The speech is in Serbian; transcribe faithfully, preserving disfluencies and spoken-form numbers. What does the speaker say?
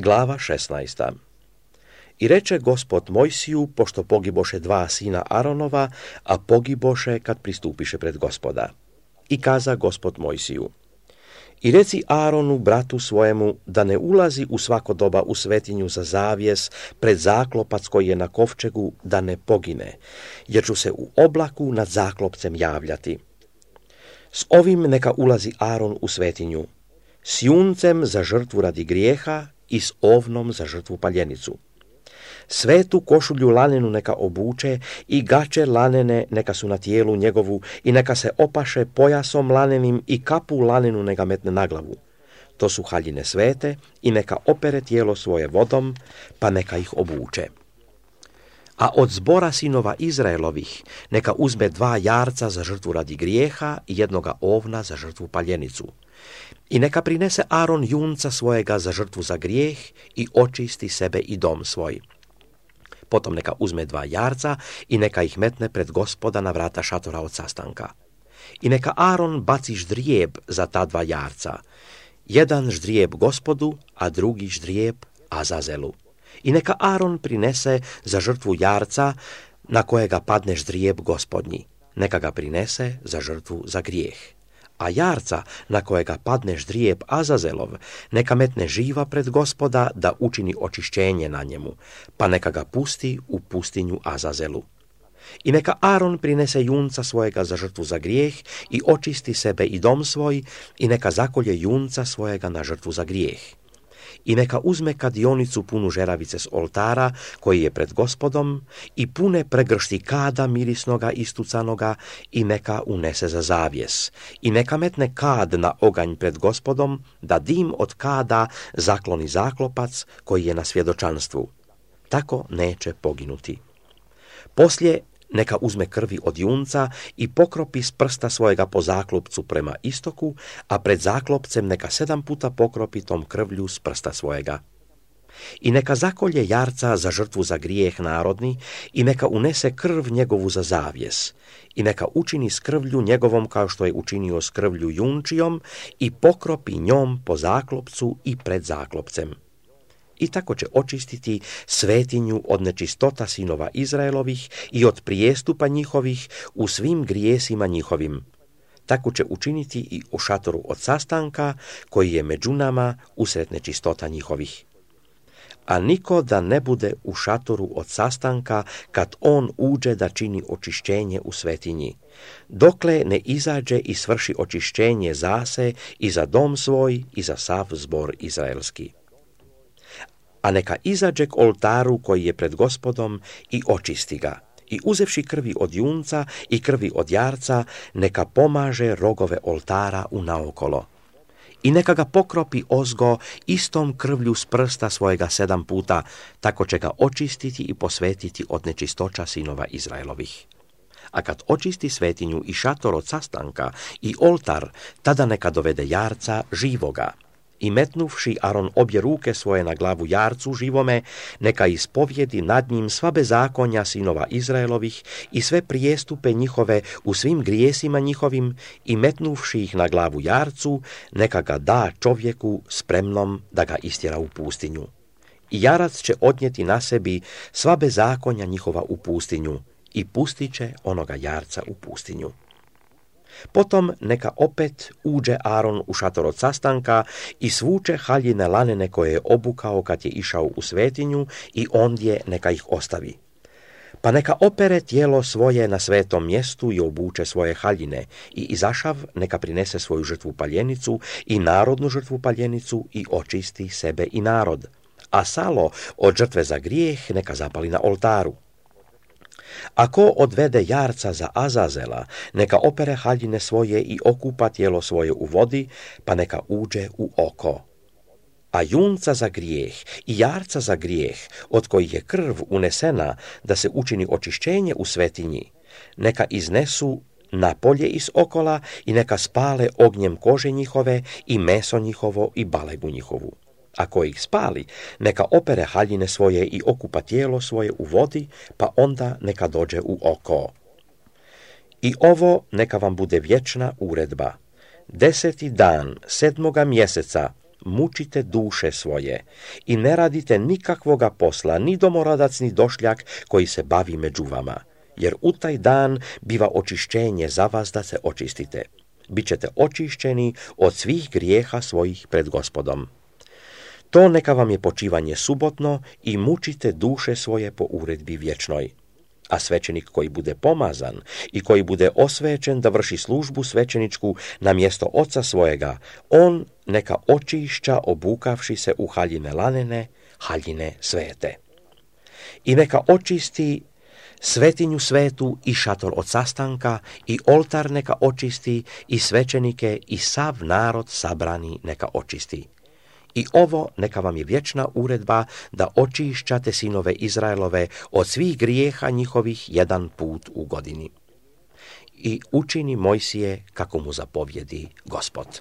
Glava šesnaesta. I reče Gospod Mojsiju, pošto pogiboše dva sina Aronova, a pogiboše kad pristupiše pred Gospoda. I kaza Gospod Mojsiju: I reci Aronu, bratu svojemu, da ne ulazi u svako doba u svetinju za zavjes pred zaklopac koji je na kovčegu, da ne pogine, jer ću se u oblaku nad zaklopcem javljati. S ovim neka ulazi Aron u svetinju, s juncem za žrtvu radi grijeha i s ovnom za žrtvu paljenicu. Svetu košulju lanenu neka obuče i gače lanene neka su na tijelu njegovu i neka se opaše pojasom lanenim i kapu lanenu neka metne na glavu. To su haljine svete i neka opere tijelo svoje vodom, pa neka ih obuče. A od zbora sinova Izraelovih neka uzme dva jarca za žrtvu radi grijeha i jednoga ovna za žrtvu paljenicu. I neka prinese Aron junca svojega za žrtvu za grijeh i očisti sebe i dom svoj. Potom neka uzme dva jarca i neka ih metne pred Gospoda na vrata šatora od sastanka. I neka Aron baci ždrijeb za ta dva jarca. Jedan ždrijeb Gospodu, a drugi ždrijeb Azazelu. I neka Aron prinese za žrtvu jarca na kojega padne ždrijeb Gospodnji. Neka ga prinese za žrtvu za grijeh. A jarca na kojega padne ždrijeb Azazelov, neka metne živa pred Gospoda da učini očišćenje na njemu, pa neka ga pusti u pustinju Azazelu. I neka Aron prinese junca svojega za žrtvu za grijeh i očisti sebe i dom svoj, i neka zakolje junca svojega na žrtvu za grijeh. I neka uzme kadionicu punu žeravice s oltara koji je pred Gospodom i pune pregršti kada mirisnoga istucanoga i neka unese za zavjes. I neka metne kad na oganj pred Gospodom da dim od kada zakloni zaklopac koji je na svjedočanstvu. Tako neće poginuti. Poslije neka uzme krvi od junca i pokropi s prsta svojega po zaklopcu prema istoku, a pred zaklopcem neka sedam puta pokropi tom krvlju s prsta svojega. I neka zakolje jarca za žrtvu za grijeh narodni i neka unese krv njegovu za zavjes. I neka učini s krvlju njegovom kao što je učinio s krvlju junčijom i pokropi njom po zaklopcu i pred zaklopcem. I tako će očistiti svetinju od nečistota sinova Izraelovih i od prijestupa njihovih u svim grijesima njihovim. Tako će učiniti i u šatoru od sastanka koji je među nama usred nečistota njihovih. A niko da ne bude u šatoru od sastanka kad on uđe da čini očišćenje u svetinji, dokle ne izađe i svrši očišćenje zase i za dom svoj i za sav zbor izraelski. A neka izađe k oltaru koji je pred Gospodom i očisti ga. I uzevši krvi od junca i krvi od jarca, neka pomaže rogove oltara unaokolo. I neka ga pokropi ozgo istom krvlju s prsta svojega sedam puta, tako će ga očistiti i posvetiti od nečistoća sinova Izraelovih. A kad očisti svetinju i šator od sastanka i oltar, tada neka dovede jarca živoga. I metnuvši Aron obje ruke svoje na glavu jarcu živome, neka ispovjedi nad njim sva bezakonja sinova Izraelovih i sve prijestupe njihove u svim grijesima njihovim, i metnuvši ih na glavu jarcu, neka ga da čovjeku spremnom da ga istjera u pustinju. I jarac će odnijeti na sebi sva bezakonja njihova u pustinju i pustit će onoga jarca u pustinju. Potom neka opet uđe Aron u šator od sastanka i svuče haljine lanene koje je obukao kad je išao u svetinju i ondje neka ih ostavi. Pa neka opere tijelo svoje na svetom mjestu i obuče svoje haljine i izašav neka prinese svoju žrtvu paljenicu i narodnu žrtvu paljenicu i očisti sebe i narod. A salo od žrtve za grijeh neka zapali na oltaru. Ako odvede jarca za Azazela, neka opere haljine svoje i okupa tijelo svoje u vodi, pa neka uđe u oko. A junca za grijeh i jarca za grijeh, od kojih je krv unesena da se učini očišćenje u svetinji, neka iznesu na polje iz okola i neka spale ognjem kože njihove i meso njihovo i balegu njihovu. Ako ih spali, neka opere haljine svoje i okupa tijelo svoje u vodi, pa onda neka dođe u oko. I ovo neka vam bude vječna uredba. Deseti dan sedmoga mjeseca mučite duše svoje i ne radite nikakvoga posla, ni domoradac, ni došljak koji se bavi među vama, jer u taj dan biva očišćenje za vas da se očistite. Bićete očišćeni od svih grijeha svojih pred Gospodom. To neka vam je počivanje subotno i mučite duše svoje po uredbi vječnoj. A svećenik koji bude pomazan i koji bude osvećen da vrši službu svećeničku na mjesto oca svojega, on neka očišća obukavši se u haljine lanene, haljine svete. I neka očisti svetinju svetu i šator od sastanka i oltar neka očisti i svećenike i sav narod sabrani neka očisti. I ovo neka vam je vječna uredba da očišćate sinove Izraelove od svih grijeha njihovih jedan put u godini. I učini Mojsije kako mu zapovjedi Gospod.